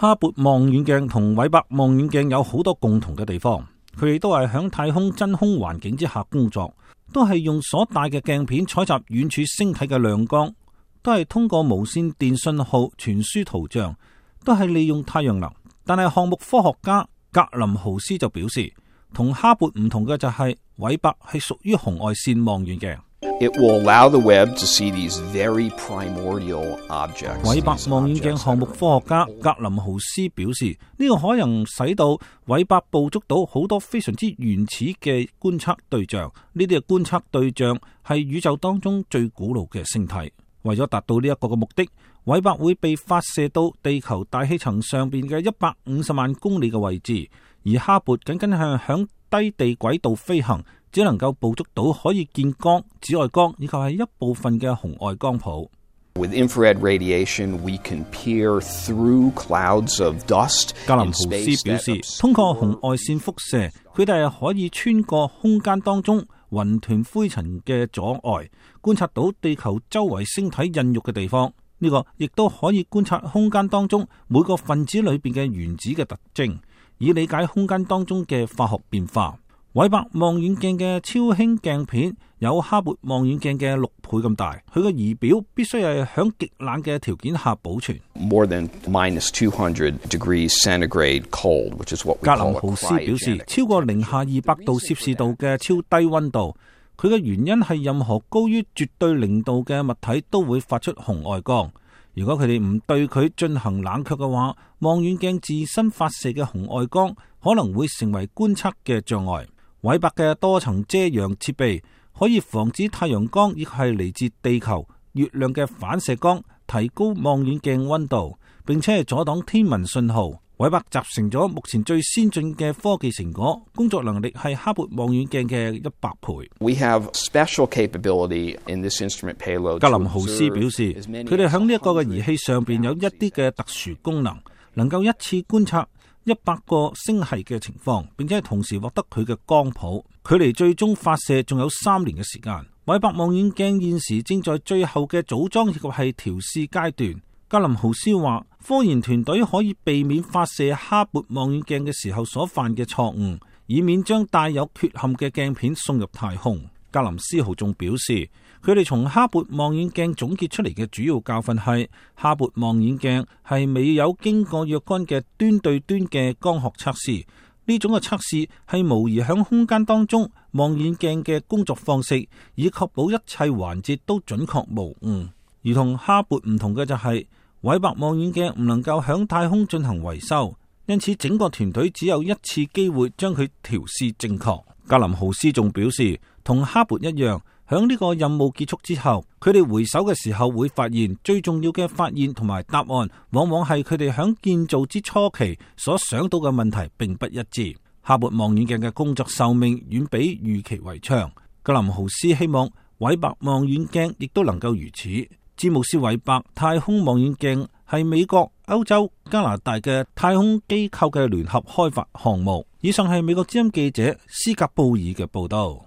哈勃望遠鏡同韋伯望遠鏡有好多共同嘅地方，佢哋都係響太空真空環境之下工作，都係用所帶嘅鏡片採集遠處星體嘅亮光，都係通過無線電信號傳輸圖像，都係利用太陽能。但係項目科學家格林豪斯就表示，同哈勃唔同嘅就係韋伯係屬於紅外線望遠鏡。It will allow the Webb to see these very primordial objects. 韋伯望遠鏡項目科學家格林豪斯表示，呢個可能使到韋伯捕捉到好多非常之原始嘅觀測對象，呢啲嘅觀測對象係宇宙當中最古老嘅星體。為咗達到呢一個嘅目的，韋伯會被發射到地球大氣層上邊嘅150萬公里嘅位置，而哈勃僅僅係響低地軌道飛行，只能夠捕捉到可以見光、紫外光以及係一部分嘅紅外光譜。With infrared radiation, we can peer through clouds of dust. 格林豪斯表示，通過紅外線輻射，佢哋係可以穿過空間當中雲團灰塵嘅阻礙，觀察到地球周圍星體孕育嘅地方。呢個亦都可以觀察空間當中每個分子裏邊嘅原子嘅特徵，以理解空間當中嘅化學變化。韋伯望遠鏡嘅超輕鏡片有哈勃望遠鏡嘅6倍咁大，佢嘅儀表必須係響極冷嘅條件下保存。More than -200 degrees centigrade cold, which is what we call a cryogenic. 格林豪斯表示，超過零下200度攝氏度嘅超低溫度，佢嘅原因係任何高於絕對0度嘅物體都會發出紅外光。如果佢哋唔對佢進行冷卻嘅話，望遠鏡自身發射嘅紅外光可能會成為觀測嘅障礙。韋伯嘅多層遮陽設備可以防止太陽光亦係嚟自地球、月亮嘅反射光，提高望遠鏡溫度，並且係阻擋天文信號。韋伯集成咗目前最先進嘅科技成果，工作能力係哈勃望遠鏡嘅100倍。We have special capability in this instrument payload. 格林豪斯表示，佢哋喺呢一個嘅儀器上邊有一啲嘅特殊功能，能夠一次觀察100個星系嘅情況，並且同時獲得佢嘅光譜。距離最終發射仲有3年嘅時間。韋伯望遠鏡現時正在最後嘅組裝以及係調試階段。格林豪斯話，科研團隊可以避免發射哈勃望遠鏡嘅時候所犯嘅錯誤，以免將帶有缺陷嘅鏡片送入太空。格林斯豪仲表示，佢哋從哈勃望遠鏡總結出嚟嘅主要教訓係，哈勃望遠鏡係未有經過若干嘅端對端嘅光學測試。呢種嘅測試係模擬響空間當中望遠鏡嘅工作方式，以確保一切環節都準確無誤。而同哈勃唔同嘅就係，韋伯望遠鏡唔能夠響太空進行維修，因此整個團隊只有一次機會將佢調試正確。格林豪斯仲表示，同哈勃一樣，響呢個任務結束之後，佢哋回首嘅時候會發現，最重要嘅發現同埋答案，往往係佢哋響建造之初期所想到嘅問題並不一致。哈勃望遠鏡嘅工作壽命遠比預期為長。格林豪斯希望韋伯望遠鏡亦都能夠如此。詹姆斯韋伯太空望遠鏡係美國、歐洲、加拿大嘅太空機構嘅聯合開發項目。以上係美國之音記者斯格布爾嘅報道。